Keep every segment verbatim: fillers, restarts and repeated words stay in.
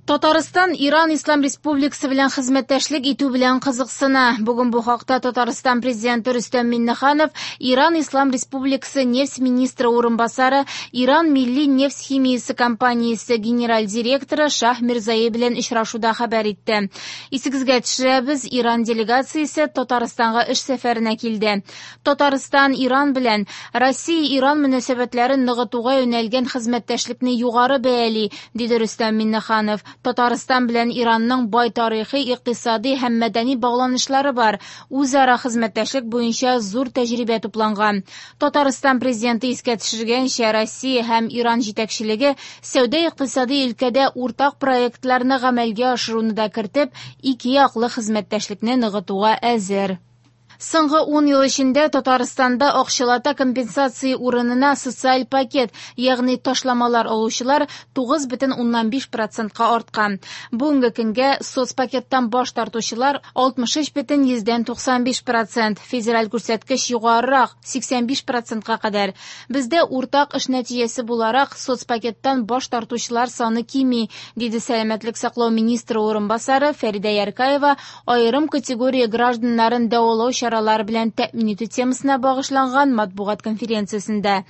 Татарстан Иран Ислам Республикасы белән хезмәттәшлек итү белән кызыксына. Бүген бу хакта Татарстан президенты Рөстәм Миңнеханов Иран Ислам Республикасы нефть министры урынбасары, Иран милли нефть химиясе компаниясе генераль директоры Шаһ Мирзаи белән очрашуда хәбәр итте. Исегезгә төшерәбез, Иран делегациясе Татарстанга эш сәфәренә килде. Татарстан Иран белән Россия-Иран мөнәсәбәтләрен ныгытуга юнәлгән хезмәттәшлекне югары бәяли, диде Рөстәм Миңнеханов. Татарстан белән Иранның бай тарихи, икътисади һәм мәдәни багланышлары бар. Үзара хезмәттәшлек буенча зур тәҗрибә тупланган. Татарстан президенты искә төшергәнчә, Россия һәм Иран җитәкчелеге сәүдә-икътисади өлкәдә уртак проектларны гамәлгә ашыруны да кертеп, ике яклы хезмәттәшлекне ныгытуга әзер. Соңгы ун ел эчендә Татарстанда акчалата компенсация урынына социаль пакет, ягъни ташламалар алучылар тугыз бөтен уннан биш процентка арткан. Бүгенге көнгә соцпакеттан баш тартучылар алтмыш өч бөтен йөздән туксан биш процент, федераль күрсәткеч югарырак сиксән биш процентка кадәр. Бездә уртак эш нәтиҗәсе буларак соцпакеттан баш тартучылар саны кими, диде сәламәтлек саклау министры урынбасары Фәридә Яркаева аерым категория гражданнарын дәвалау чаралары белән тәэмин итү темасына багышланган матбугат конференциясендә.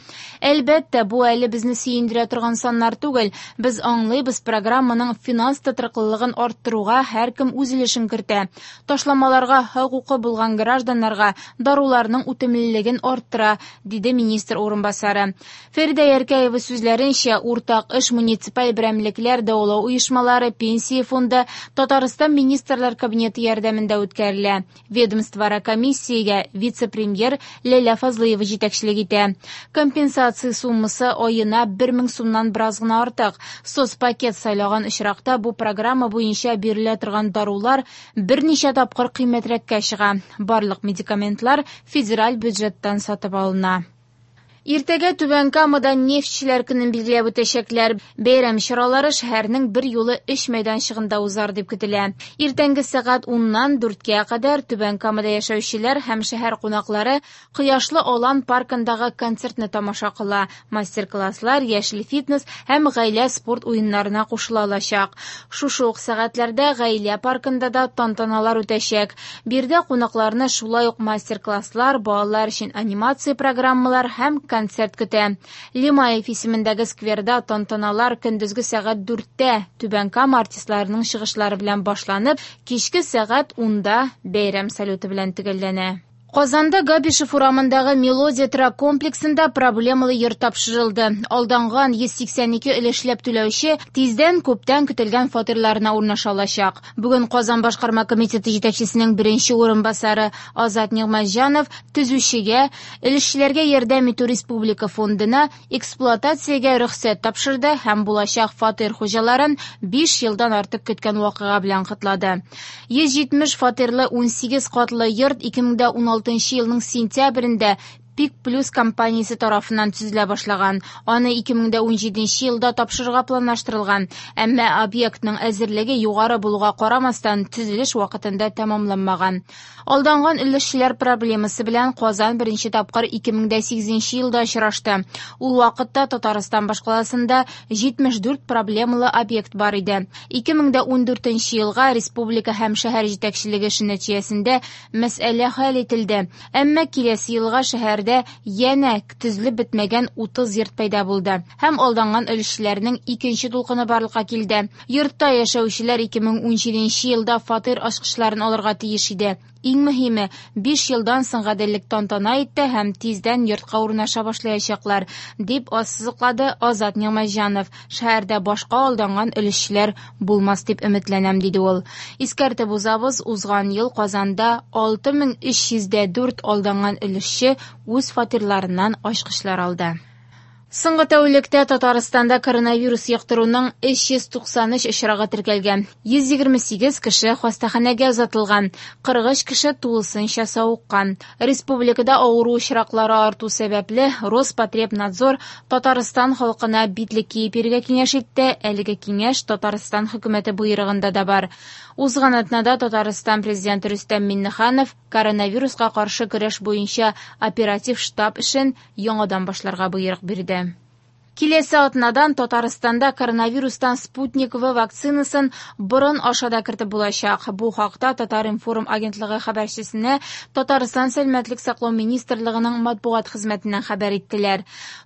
Әлбәттә, бу әле безне сөендерә торган саннар түгел. Без аңлыйбыз, программаның финанс тотрыклылыгын арттыруга һәркем үз өлешен кертә. Ташламаларга хокукы булган гражданнарга даруларның үтемлелеген арттыра, диде министр урынбасары. Фәридә Яркәева сүзләренчә, уртак эш муниципаль берәмлекләр, дәвалау оешмалары, пенсия фонды, Татарстан Министрлар Кабинеты ярдәмендә үткәрелә. Ведомствоара комиссиягә вице-премьер Ләйлә Фазлыева җитәкчелек итә. Компенсация суммасы аена бер мең сумнан бераз гына артык. Соцпакет сайлаган очракта бу программа буенча бирелә торган дарулар берничә тапкыр кыйммәтрәккә чыга. Барлык медикаментлар федераль бюджеттан сатып алына. Иртәгә Түбән Камада нефтьчеләр көнен билгеләп үтәчәкләр. Бәйрәм чаралары шәһәрнең бер юлы өч мәйданчыгында узар дип көтелә. Иртәнге сәгать уннан дүрткә кадәр Түбән Камада яшәүчеләр һәм шәһәр кунаклары Кояшлы Алан паркындагы концертны тамаша кыла. Мастер-класслар, яшел фитнес һәм гаилә спорт уеннарына кушыла алачак. Шушы ук сәгатьләрдә гаилә паркында да тантаналар үтәчәк. Биредә кунакларны шулай ук мастер-класслар, балалар өчен анимация программалар һәм концерт көтә. Лимаев исемендәге скверда тантаналар көндезге сәгать дүрттә Түбән Кама артистларының чыгышлары белән башланып, кичке сәгать унда бәйрәм салюты белән төгәлләнә. Казанда Габишев урамындагы Мелодия торак комплексында проблемалы йорт тапшырылды. Алданган йөз сиксән ике өлешләп түләүче тиздән күптән көтелгән фатирларына урнаша алачак. Бүген Казан башкарма комитеты җитәкчесенең беренче урынбасары Азат Нигъмәтҗанов төзүчегә, өлешчеләргә ярдәм итү республика фондына эксплуатациягә рөхсәт тапшырды һәм булачак фатир хуҗаларын биш елдан артык көткән вакыйга белән котлады. Йөз җитмеш фатирлы ун сигез катлы йорт ике мең дә ун алтынчы елның сентябрендә Пик Плюс компаниясе тарафыннан төзелә башлаган. Аны ике мең дә ун җиденче елда тапшырырга планлаштырылган. Әмма объектның әзерлеге югары булуга карамастан төзелеш вакытында тәмамланмаган. Алданган өлешчеләр проблемасы белән Казан беренче тапкыр ике мең дә сигезенче елда очрашты. Ул вакытта Татарстан башкаласында җитмеш дүрт проблемалы объект бар иде. Ике мең дә ун дүртенче елга республика һәм шәһәр җитәкчелеге эше нәтиҗәсендә мәсьәлә хәл ителде. Әмма киләсе елга шәһәрдә янә төзелеп бетмәгән утыз йорт пәйда булды һәм алданган өлешчеләрнең икенче дулкыны барлыкка килде. Йортта яшәүчеләр ике мең ун җиденче елда фатир ачкычларын алырга тиеш иде. Иң мөһиме, биш елдан соң гаделлек тантана итте һәм тиздән йортка урнаша башлаячаклар, дип ассызыклады Азат Нигъмәтҗанов. Шәһәрдә башка алданган өлешчеләр булмас дип өметләнәм, диде ул. Искәртеп узабыз, узган ел Казанда алты мең өч йөз дә дүрт алданган өлешче үз фатирларыннан ачкычлар алды. Соңгы тәүлектә Татарстанда коронавирус йоктыруның өч йөз туксан өч очрагы теркәлгән. Йөз егерме сигез кеше хастаханәгә озатылган, кырык өч кеше тулысынча савыккан. Республикада авыру очраклары арту сәбәпле Роспотребнадзор Татарстан халкына битлек киеп йөрергә киңәш итте. Әлеге киңәш Татарстан хөкүмәте боерыгында да бар. Узган атнада Татарстан президенты Рөстәм Миңнеханов коронавируска каршы көрәш буенча оператив штаб эшен яңадан башларга боерык бирде. Киләсе атнадан Татарстанда коронавирустан Спутник В вакцинасын борын аша да кертеп булачак. Бу хакта Татар-информ агентлыгы хәбәрчесенә Татарстан Сәламәтлек саклау министрлыгының матбугат хезмәтеннән хәбәр иттеләр.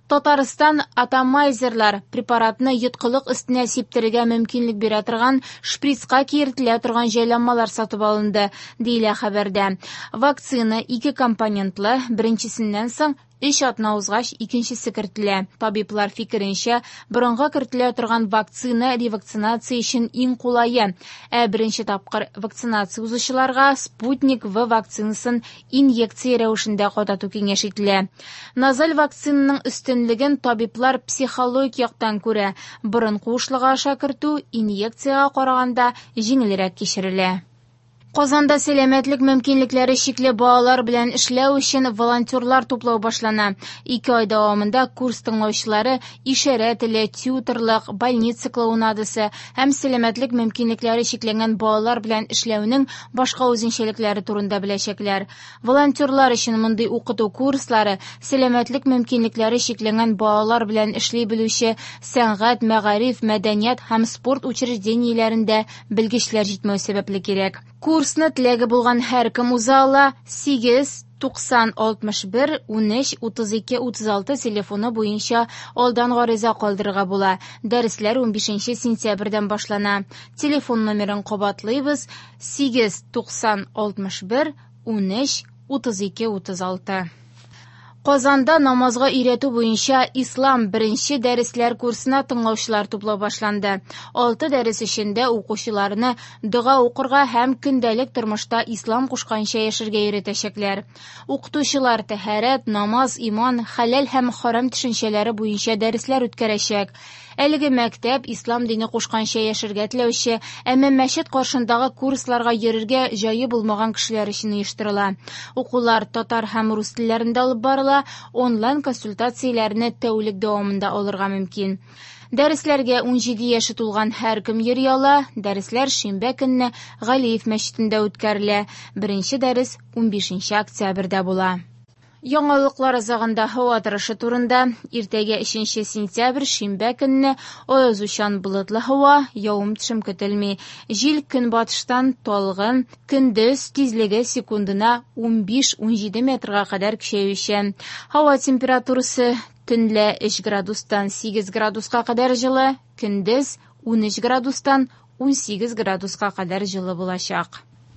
Татарстан атомайзерлар препаратны йоткылык өстенә сиптерергә мөмкинлек бирә торган шприцка киертелә торган җайланмалар сатып алынды, диелә хәбәрдә. Вакцина ике компонентлы, беренчесеннән соң өч атна узгач икенчесе кертелә. Табиблар фикеренчә, борынга кертелә торган вакцина ревакцинация өчен иң кулае. Ә беренче тапкыр вакцинация узучыларга Спутник В вакцинасын инъекция рәвешендә кадату киңәш ителә. Назаль вакцинаның өстенлеген табиблар психологик яктан күрә. Борын куышлыгы аша кертү инъекциягә караганда җиңелрәк кичерелә. Казанда сәламәтлек мөмкинлекләре чикле балалар белән эшләү өчен волонтерлар туплау башлана. Ике ай дәвамында курс тыңлаучылары ишарә теле, тьюторлык, больница клоунадасы һәм сәламәтлек мөмкинлекләре чикләнгән балалар белән эшләүнең башка үзенчәлекләре турында беләчәкләр. Волонтерлар өчен мондый укыту курслары сәламәтлек мөмкинлекләре чикләнгән балалар белән эшли белүче сәнгать, мәгариф, мәдәният һәм спорт учреждениеләрендә белгечләр җитмәү сәбәпле кирәк. Курсны теләге булган һәркем уза ала. Сигез туксан алтмыш бер унөч утыз ике утыз алты телефоны буенча алдан гариза калдырырга була. Дәресләр унбишенче сентябрьдән башлана. Телефон номерын кабатлыйбыз: сигез туксан алтмыш бер унөч утыз ике утыз алты. Казанда намазга өйрәтү буенча Ислам беренче дәресләр курсына тыңлаучылар туплау башланды. Алты дәрес эчендә укучыларны дога укырга һәм көндәлек тормышта ислам кушканча яшәргә өйрәтәчәкләр. Укытучылар тәһарәт, намаз, иман, хәләл һәм харам төшенчәләре буенча дәресләр үткәрәчәк. Әлеге мәктәп ислам дине кушканча яшәргә теләүче, әмма мәчет каршындагы курсларга йөрергә җае булмаган кешеләр өчен оештырыла. Укулар татар һәм рус телләрендә алып барыла, онлайн консультацияләрне тәүлек дәвамында алырга мөмкин. Дәресләргә унҗиде яше тулган һәркем йөри ала. Дәресләр шимбә көнне Галиев мәчетендә үткәрелә. Беренче дәрес унбишенче октябрьдә була. Яңалыклар азагында һава торышы турында. Иртәгә өченче сентябрь шимбә көнне аязучан болытлы һава, явым-төшем көтелми. Җил көнбатыштан талгын, көндез тизлеге секундына унбиш-унҗиде метрга кадәр көчәючән. Һава температурасы төнлә өч градустан сигез градуска кадәр җылы, көндез унөч градустан унсигез градуска кадәр җылы булачак.